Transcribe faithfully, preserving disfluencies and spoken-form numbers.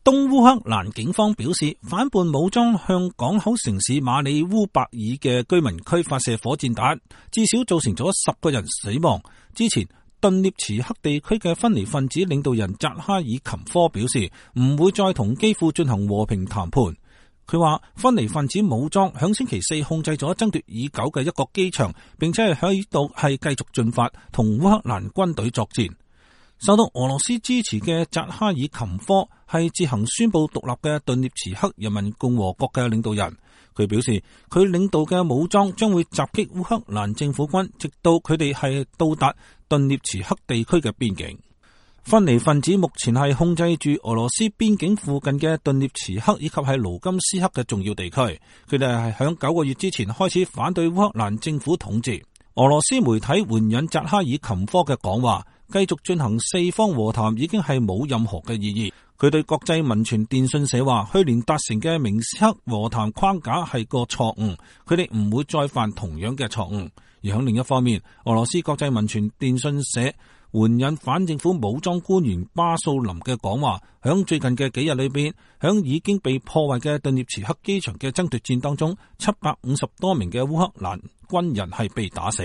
東烏克蘭警方表示，反叛武裝向港口城市馬里烏伯爾嘅居民區發射火箭彈，至少造成咗十個人死亡。之前，頓涅茨克地區嘅分離分子領導人扎哈爾琴科表示，唔會再同基輔進行和平談判。佢話，分離分子武裝響星期四控制咗爭奪已久嘅一個機場，並且係喺度係繼續進發同烏克蘭軍隊作戰。受到俄羅斯支持嘅扎哈爾琴科係自行宣布獨立嘅頓涅茨克人民共和國嘅領導人。佢表示，佢領導嘅武裝將會襲擊烏克蘭政府軍，直到佢哋係到達頓涅茨克地區嘅邊境。分離分子目前係控制住俄羅斯邊境附近嘅頓涅茨克以及係盧甘斯克嘅重要地區。佢哋係響九個月之前開始反對烏克蘭政府統治。俄羅斯媒體援引扎哈爾琴科嘅講話，繼續進行四方和談已經係冇任何嘅意義。佢對國際民傳電訊社話，去年達成嘅明斯克和談框架係個錯誤，佢哋唔會再犯同樣嘅錯誤。而喺另一方面，俄羅斯國際民傳電訊社援引反政府武裝官員巴素林嘅講話，響最近嘅幾日裏邊，響已經被破壞嘅頓涅茨克機場嘅爭奪戰當中，七百五十多名嘅烏克蘭軍人係被打死。